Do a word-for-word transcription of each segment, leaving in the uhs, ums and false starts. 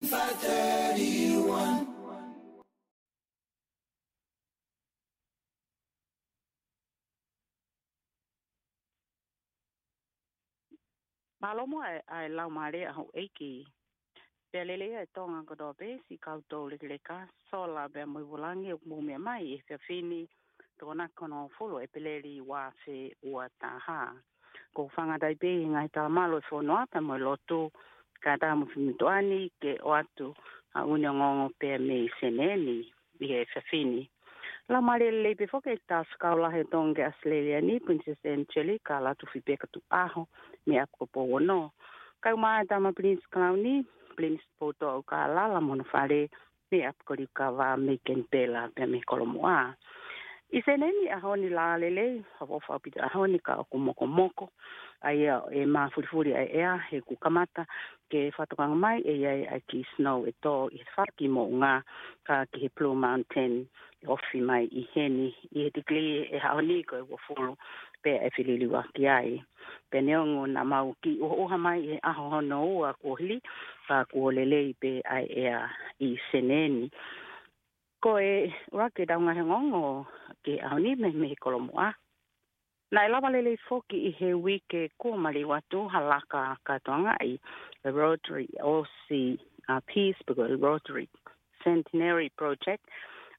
five thirty-one. Mālō muʻa ʻa e, ʻa e laumālie ʻa houʻeiki. Pea lelei ʻa e Tonga kotoa pē, siʻi kau toulekeleka, sola pea mo e vūlangi ʻoku mou meʻa mai he efiafi ni, Tokonaki ko hono hongofulu ʻo ʻEpeleli ua afe ua taha. Ko e fanga taipei he ngaahi talamalu ʻo e fonua pea mo e lotu, kae ʻatā mo e fefine tuʻa ni ke ʻoatu ʻa e ongoongo pea mei Senē ni ʻi he efiafi ni. Laumālie lelei pē foki ʻEiki Talafekau Lahi ʻo Tonga ki ʻAositelēlia ni, Princess Angelika Latufipeikatuʻaho mei ʻApikolopouono. Kae ʻumaʻā ʻa e Tama Pilinisi Kalauni, Pilinisi Poutoʻa ʻUlukālala mo hono fale mei ʻApikolokava mei Kenipela pea mei Kolomuʻa. ʻI Senē ni ʻaho ni, lā lelei, fakaʻofoʻofa ʻaupito ʻaho ni ka ʻoku mokomoko ʻa ia ʻe māfulifuli ʻa e ʻea he kuo kamata ke fakatokanga mai ʻe ʻi ai ʻa e kiʻi snow ʻe tō ʻi he fale kiʻi moʻunga, ka ki he Blue Mountain ʻe ofi mai ʻi heni ʻi he tikilī ʻi he ʻaho ni ko e uofulu pea ʻe feliliuaki ai. Pea neongo naʻa mau kiʻi ʻuhaʻuha mai ʻi he ʻaho hono ua kuo hili, ka kuo lelei pē ʻa e ʻea ʻi Senē ni. Ko e ʻuluaki ʻetau ngaahi ongoongo ki he ʻaho ni mei, mei Kolomuʻa. Naʻe lava lelei foki ʻi he uike kuo maliu atu ha laka kātoangaʻi ʻa e Rotary Aussie, uh, Peace, pe ko e Rotary Centenary Project.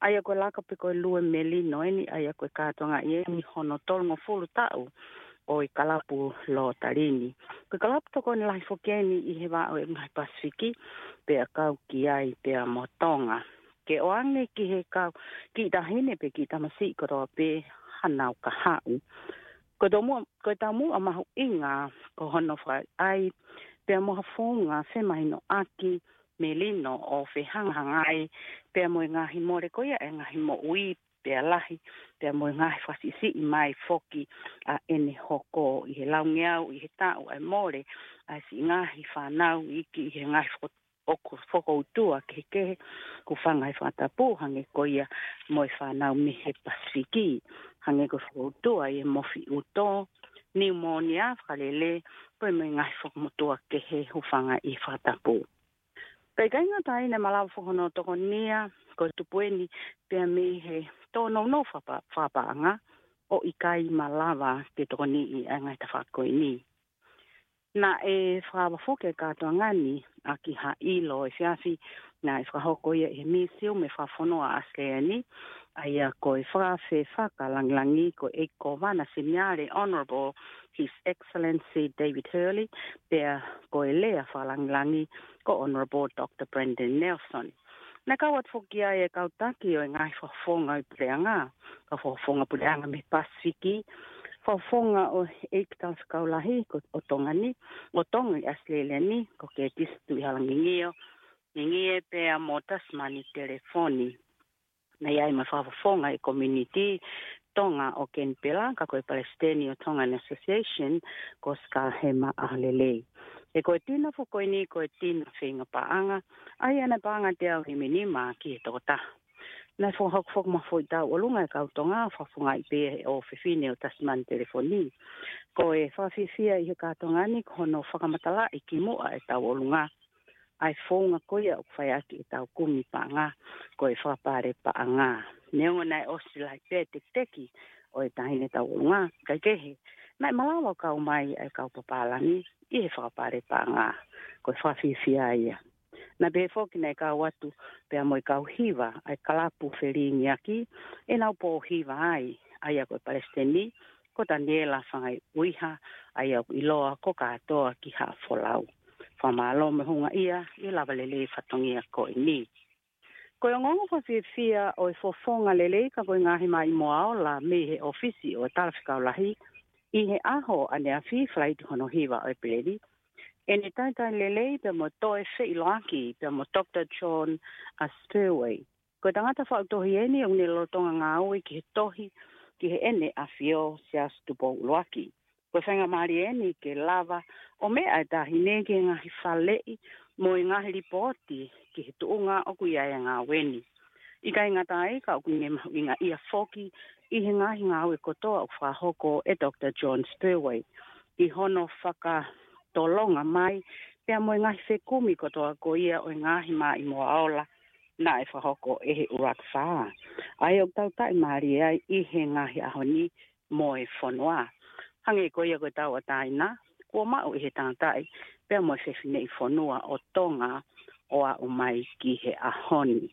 ʻA ia ko e laka pe ko e lue melino eni, ʻa ia ko e kātoangaʻi eni hono tolungofulu taʻu ʻo e kalapu Lotary ni. Ko e kalapu tokoni lahi foki eni ʻi he vaʻe ʻo e ngaahi Pasifiki, pea kau ki ai pea mo Tonga. Ke ʻoange ki he kau kiʻi taʻahine pe kiʻi tamasiʻi kotoa pē hanau kahaʻu. Ko e taumuʻa, ko e taumuʻa mahuʻinga ko hono fakaʻaiʻai pea mo ha founga femahinoʻaki melino ʻo fehangahangai pea mo e ngaahi mole ko ia ʻa e ngaahi moʻui pea lahi, pea mo e ngaahi fakasiʻisiʻi mai foki ʻa ʻene hoko ʻi he laungeau ʻi he taʻu ʻa e mole ʻa e siʻi ngaahi fānau iiki ʻi he ngaahi foko-, ʻoku fokoutua kehekehe, hūfanga he fakatapu, hangē ko ia mo e fānau mei he Pasifiki, hangē ko e fokoutua ʻi he mofi ʻuto, niumōnia, fakalele, pea mo e ngaahi fakamotuʻa kehe, hūfanga ʻi he fakatapu. Pea ʻikai ngata ai, naʻe malava foki hono tokonia ko e tupu eni pea mei he tōnounou fakapa-, fakapaʻanga, ʻo ʻikai malava ke tokoniʻi ʻa e ngaahi tafaʻaki ko eni. Naʻe fakaava foki e kātoanga ni ʻaki ha ʻilo efiafi naʻe fakahoko ia ʻi he Misiume Fakafonua ʻAositelēlia ni, ʻa ia ko e fakaafe fakalāngilangi ko e ʻEiki Kōvana Seniale, Honourable His Excellency David Hurley, pea ko e lea fakalāngilangi ko Honourable Doctor Brendan Nelson. Naʻe kau atu foki ai e kau taki ʻo e ngaahi fakafofonga ʻo e puleʻanga, kau fakafofonga puleʻanga mei Pasifiki, fakafofonga ʻo e ʻEiki Talafekau Lahi ko, ʻo Tonga ni, ʻo Tonga ʻi ʻAositelēlia ni, ko Kētisi Tuʻihalangingie, Ngingie pea mo Tasimani Telefoni. Naʻe ʻi ai mo e fakafofonga e community Tonga ʻo Kenipela, ka ko e palesiteni ʻo Tongan Association, ko Skalahema ʻAholelei. He ko e tino foki ko eni, ko e tino feinga paʻanga, ʻa ia naʻe paʻanga teau himinima ki he tokotaha. Naʻe fakahoko foki mo ha foʻi tauʻolunga ʻa e kau Tonga, fakafofongaʻi pē ʻe he ʻofefine ʻo Tasimani Telefoni. Ko e fakafiefia ʻi he kātoanga ni, ko hono fakamatalaʻi kimuʻa e tauʻolunga ʻa e founga ko ia ʻoku fai ʻaki ʻetau kumi paʻanga, ko e fakapale paʻanga. Neongo naʻe ʻosi lahi pē e tekiteki ʻo e taʻahine tauʻolunga, kae kehe, naʻe malava ʻo kau mai ʻa e kau papālangi ʻi he fakapale paʻanga. Ko e fakafiefia ia. Naʻe pehē foki naʻe kau atu pea mo e kau hiva ʻa e kalapu felingiaki ʻenau pō hiva ai, ʻa ia ko e palesiteni, ko Taniela Fangaiuiha, ʻa ia ʻoku ʻiloa ko Kātoa ki Haʻafolau. Fakamālō mo e houngaʻia ʻi he lava lelei fatongia ko eni. Ko e ongoongo fakafiefia ʻo e fofonga lelei ka ko e ngaahi maʻimoa ola mei he ʻofisi ʻo e Talafekau Lahi ʻi he ʻaho ʻaneafi, Falaite hono hiva ʻo ʻEpeleli, ʻene talitali lelei pea mo toe feʻiloaki pea mo Doctor John, a, Spurway. Ko e tangata faʻu tohi eni ʻoku ne lolotonga ngāue ki he tohi ki Heʻene ʻAfio Siaosi Tupou ʻUluaki. Ko e faingamālie eni ke lava ʻo meʻa e taʻahine ki he ngaahi faleʻi mo e ngaahi lipooti ki he tuʻunga ʻoku ʻi ai e ngāue ni. ʻIkai ngata ai, ka ʻoku ne mahuʻingaʻia foki ʻi he ngaahi ngāue kotoa ʻoku fakahoko ʻe Doctor John Spurway ʻi hono fakatolonga mai pea mo e ngaahi fekumi kotoa ko ia ʻo e ngaahi maʻimoa ola naʻe fakahoko ʻe he ʻUluaki Fā, ʻa ia ʻoku tau taʻimālie ai ʻi he ngaahi ʻaho ni mo e fonua. Hangē ko ia ko e tauʻatāina kuo maʻu ʻe he tangataʻi pea mo e fefineʻi fonua ʻo Tonga ʻo aʻu mai ki he ʻaho ni.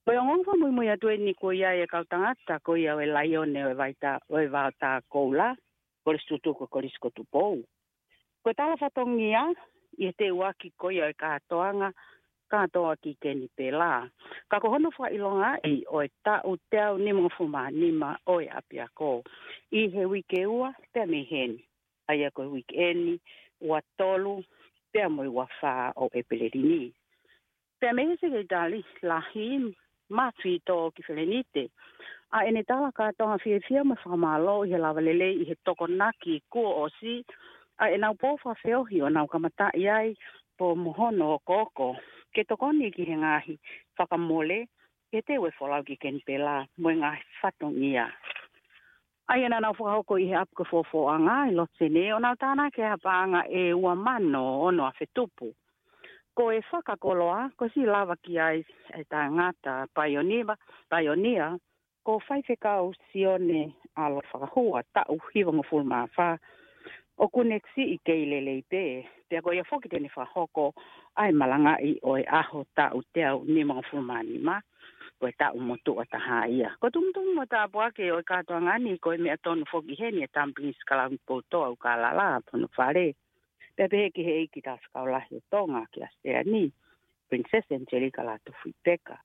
Ko e ongoongo fakamuimui atu eni ko ia ʻa e kau tangata ko ia ʻo e Laione ʻo e Vaotā, ʻo e Vaotā Koula, Kolisi Tutuku, Kolisi ko Tupou. Ko e tala fatongia ʻi he teuaki ko ia ʻo e kātoanga, kātoa ki Kenipela. Ka ko hono fakaʻilongaʻi ʻo e taʻu teau nimangofulu mā nima ʻo e ʻapiako ʻi he uike ua pea mei heni, ʻa ia ko e uike eni, ua tolu pea mo e ua fā ʻo ʻEpeleli ni. Pea mei he sekelitali lahi, Mafi Toki Felenite, ʻa ʻene tala kātoanga fiefia mo e fakamālō ʻi he lava lelei ʻi he Tokonaki kuo ʻosi, ʻa ʻenau pou fakafeohi ʻo nau kamataʻi ai pea mo hono okooko ke tokoni ki he ngaahi fakamole ke teu e folau ki Kenipela mo e ngaahi fatongia. ʻA ia naʻa nau fakahoko ʻi he ʻapi ko Fofoʻanga ʻi loto Senē, ʻo nau tānaki ʻa e paʻanga ʻe ua mano ono afe tupu. Ko e fakakoloa, ko e siʻi lava ki ai e tangata paionia, paionia, ko Faifekau Sione ʻAlo Fakahua, taʻu hivangofulu mā fā, ʻoku ne siʻi kei lelei pē. Pea ko ia foki te ne fakahoko ʻa e malangaʻi ʻo e ʻaho taʻu teau nimangofulu mā nima, ko e taʻu motuʻa taha ia. Ko e tumutumu mo e tāpuaki ʻo e kātoanga ni, ko e meʻa tonu foki heni ʻa e Tama Pilinisi Kalauni Poutoa ʻUlukālala Fonofale. Pea pehē ki he ʻEiki Tāusikau Lahi ʻo Tonga ki ʻAositelēlia ni, Princess Angelica Lātūfuipeka.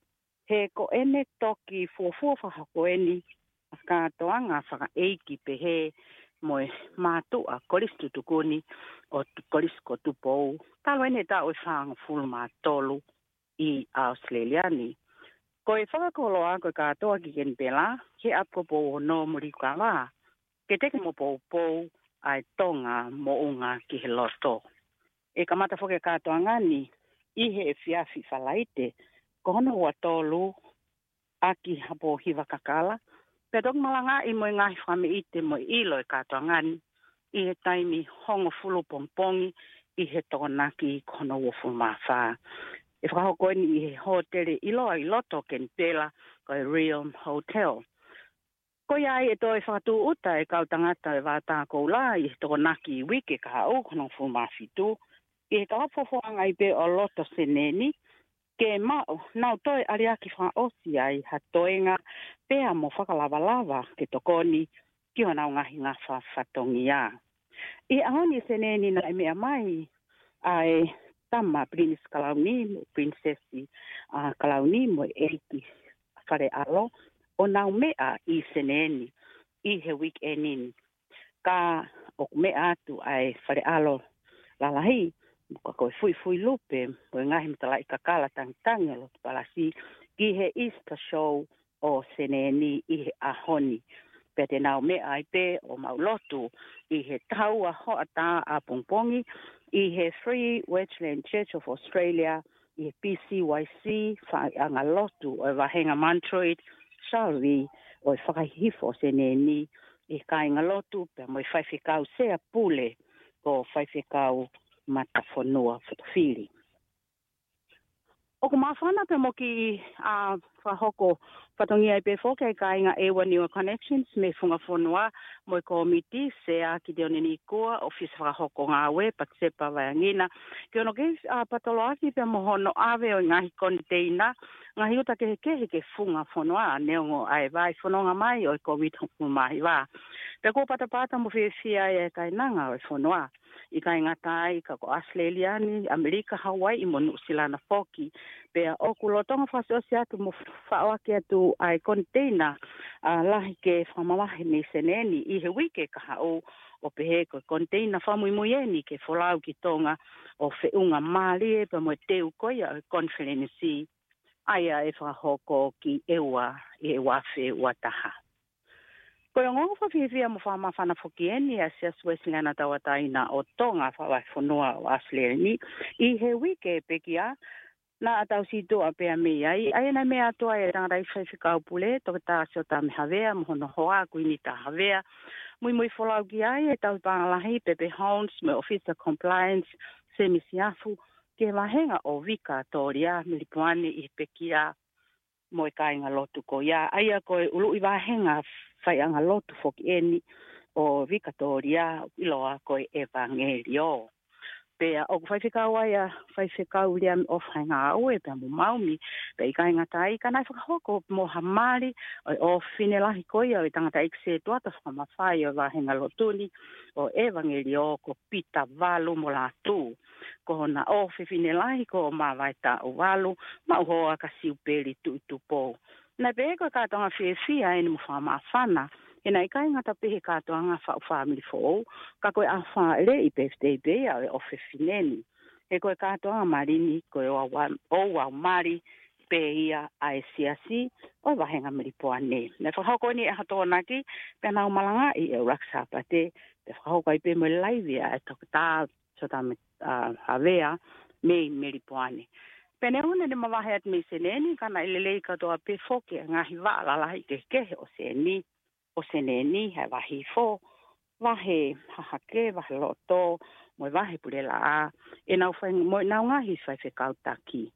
He ko ʻene toki fuofua fakahoko eni ʻa e kātoanga fakaʻeiki pehē mo e mātuʻa Kolisi Tutuku ni ʻo Tu-, Kolisi ko Tupou, talu eni e taʻu ʻe fāngofulu mā tolu ʻi ʻAositelēlia ni. Ko e fakakoloa ko e kātoa ki Kenipela, ki he ʻapi ko Pouono mo Liukava, ke teke mo poupou ʻa e Tonga moʻunga ki he loto. ʻE kamata foki e kātoanga ni ʻi he efiafi Falaite, ko hono ua tolu ʻaki ha pō hiva kakala, pea toki malangaʻi mo e ngaahi fakameʻite mo e ʻilo e kātoanga ni ʻi he taimi hongofulu pongipongi ʻi he Tokonaki ko hono uofulu mā fā. ʻE fakahoko eni ʻi he hōtele ʻiloa ʻi loto Kenipela, ko e Realm Hotel. Ko ia ai ʻe toe fakatūʻuta e kau tangata ʻo e Vaotā Koula ʻi he Tokonaki uike kahaʻu ko hono hongofulu mā fitu, ʻi he kalapu Fofoʻanga ʻi pē ʻo loto Senē ni, ke maʻu, nau toe ʻaliaki fakaʻosi ai ha toenga pea mo fakalavalava ke tokoni ki honau ngaahi ngafa fatongia. ʻI he ʻaho ni Senē ni naʻe meʻa mai ʻa e Tama Pilinisi Kalauni mo Pilinisesi, ʻa, Kalauni mo e ʻEiki Faleʻalo ʻo nau meʻa ʻi Senē ni ʻi he uike eni. Ka ʻoku meʻa atu ʻa e Faleʻalo Lalahi, ka ko e fuifui lupe mo e ngaahi matalaʻi kakala tangitangi ʻo loto palasi ki he Easter Show ʻo Senē ni ʻi he ʻaho ni. Pea te nau meʻa ai pē ʻo maʻu lotu ʻi he taha ua hoʻatā ʻapongipongi ʻi he Free Wesleyan Church of Australia, ʻi he P C Y C, faiʻanga lotu ʻo e vahenga Mountreot Salvi ʻo e fakahihifo ʻo Senē ni, ʻi he kāinga lotu pea mo e faifekau sea pule ko Faifekau Matafonua Fotofili. ʻOku māfana pea mo e kiʻi, ʻa, fakahoko fatongia ai pē foki ʻa e kāinga ʻEua Niua Connections mei he Funga Fonua mo e kōmiti, Sea Kitione Nikua, ʻofisa fakahoko ngāue Patisepa Vaiangina, ki hono kiʻi, ʻa, patoloaki pea mo hono ʻave ʻo e ngaahi koniteina, ngaahi uta kehekehe ki he Funga Fonua, neongo ʻa e vaʻi fononga mai ʻo e Kōviti hongofulu mā hiva. Pea kuo patapata mo fiefia ai e kainanga ʻo e fonua, ʻikai ngata ai ka ko ʻAositelēlia ni, ʻAmelika, Hauaiʻi mo Nuʻusila na foki. Pea ʻoku lolotonga fakaʻosiʻosi atu mo faʻoaki atu ʻa e koniteina, ʻa, lahi ke fakamavahe mei Senē ni ʻi he uike kahaʻu, ʻo pehē ko e koniteina fakamuimui eni ke folau ki Tonga ʻo feʻunga mālie pea mo e teu ko ia ʻo e konifelenisi, ʻa ia ʻe fakahoko ki ʻEua ʻi he ua afe ua taha. Ko e ongoongo fakafiefia mo fakamāfana foki eni ʻa e Siasi Uēsiliana Tauʻatāina ʻo Tonga, Fakavahefonua ʻo ʻAositelēlia ni, ʻi he uike pekia, naʻa tau situʻa pea mei ai, ʻa ia naʻe meʻa atu ai e tangataʻi faifekau pule, Toketā Siosiua Mehavea, mo hono hoa, Kuini Tahavea, Muimui folau ki ai ʻe Tauhi Pālahi Pepe Holmes mo e ʻOfisa Compliance Semi Siafu ki he vahenga ʻo Vikatōlia Melipoane ʻi he pekia mo e kāingalotu ko ia. ʻA ia ko e ʻuluʻi vahenga faiʻanga lotu foki eni ʻo Vikatōlia ʻoku ʻiloa ko e ʻEvangeliō. Pea ʻoku faifekau ai ʻa Faifekau Liami ʻOfaʻeingāue pea mo Maumi, pea ʻikai ngata ai ka naʻe fakahoko mo ha mali ʻo e ʻofefine lahi ko ia ʻo e tangataʻeiki sētuata fakamafai ʻo e vahenga lotu ni ʻo e ʻEvangeliō ko Pita Valu mo Lātū. Ko hona ʻofefine lahi ko Māvae Taʻu Valu, maʻu hoa ka Siupeli Tuʻi Tupou. Naʻe pehē ko e kātoanga fiefia eni mo fakamāfana, he naʻe ʻikai ngata pē he kātoanga faʻu fāmili foʻou, ka ko e ʻaho fāʻeleʻi pē fitei pē ia ʻo e ʻofefine ni. He ko e kātoanga mali ni ko e ʻoua, ʻoua mali pē ia ʻa e siasi ʻo e vahenga Melipoane. Naʻe fakahoko eni ʻe he Tokonaki, pea nau malangaʻi ʻe ʻUluaki Sāpate, pea fakahoko ai pē mo e laivi ʻa e Toketā Sota me, ʻa, Havea mei Melipoane. Pea neongo ʻene mavahe atu mei Senē ni, ka naʻe lelei kātoa pē foki e ngaahi vaʻa lalahi kehekehe ʻo Senē, ʻo Senē ni, ʻa e vahe Hihifo, vahe Hahake, vahe Loto, mo e vahe Pulelaʻā, ʻenau fai, mo ʻenau ngaahi faifekau taki.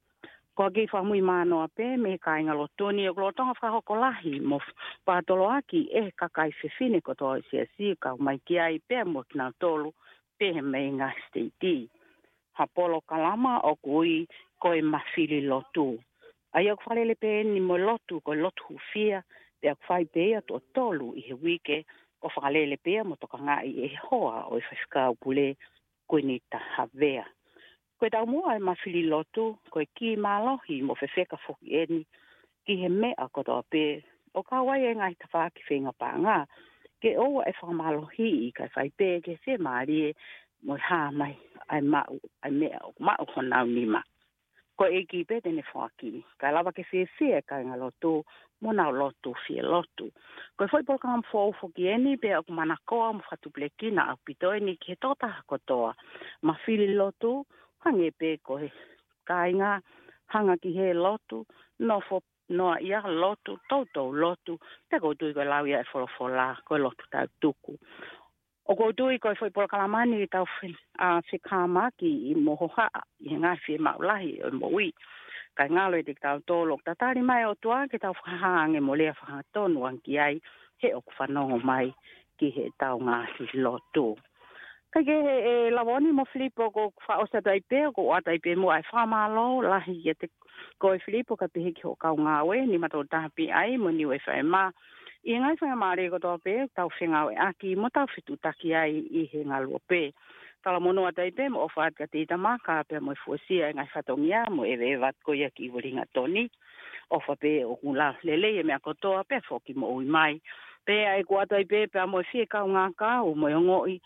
Ko e kiʻi fakamui mānoa pē mei he kāingalotu ni ʻoku lolotonga fakahoko lahi mo f-, fakatoloaki ʻe he kakai fefine kotoa ʻo e siasi kau mai ki ai pea mo kinautolu pehē mei he ngaahi siteiti. Ha polokalama ʻoku ui ko e Mafili Lotu. ʻA ia ʻoku fakalele pē eni mo e lotu, ko e lotu hūfia, pea ʻoku fai pē ia tuʻo tolu ʻi he uike, ʻo fakalele pē ia mo tokangaʻi ʻe he hoa ʻo e Faifekau Pule, Kuinita Havea. Ko e taumuʻa e Mafili Lotu, ko e kiʻi mālohi mo fefeka foki eni ki he meʻa kotoa pē, ʻo kau ai e ngaahi tafaʻaki feinga paʻanga, ke ʻoua ʻe fakamālohiʻi kae fai pē ke fiemālie mo e hā mai ʻa e maʻu, ʻa e meʻa ʻoku maʻu honau nima. Ko e ʻEiki pē te ne foaki, kae lava ke fiefia e kāingalotu mo nau lotu fie lotu. Ko e foʻi polokalama foʻou foki eni pea ʻoku manakoa mo fakatupulekina ʻaupito eni ki he tokotaha kotoa. Mafili Lotu, hangē pē ko e kāinga, hanga ki he lotu, nofo noaʻia lotu, toutou lotu, pea ʻoku ou tui ko e lau ia e folofola, ko e lotu tāutuku. ʻOku ou tui ko e foʻi polokalama ni ʻoku tau fe-, ʻa, fekamaki ʻi mo hohaʻa ʻi he ngaahi fiemaʻu lahi ʻo e moʻui. Kae ngalo ʻiate kitautolu ʻoku tatali mai e ʻOtua ke tau fakahā ange mo lea fakahangatonu ange ki ai, he ʻoku fanongo mai ki heʻetau ngaahi lotu. Kae kehe, ʻe Lavoni mo Filipo, ʻoku ou fakaʻosi atu ai pē, ʻoku ou ʻoatu ai pē muʻa e fakamālō lahi kiate koe Filipo, kae pehē ki hoʻo kau ngāue, Nima Tolu Taha P I mo Niu F M, ʻi he ngaahi faingamālie kotoa pē ʻoku tau fengāueʻaki mo tau fetuʻutaki ai ʻi he ngaluope. Talamonū atu ai pē mo ʻofa atu kiate Itamaka pea mo e fuesia e ngaahi fatongia mo e eveeva ko ia ki Uelingatoni. ʻOfa pē ʻoku lava lelei e meʻa kotoa pea foki moʻui mai. Pea ʻoku ou ʻoatu ai pē pea mo e fie kaungā kau mo e ongoʻi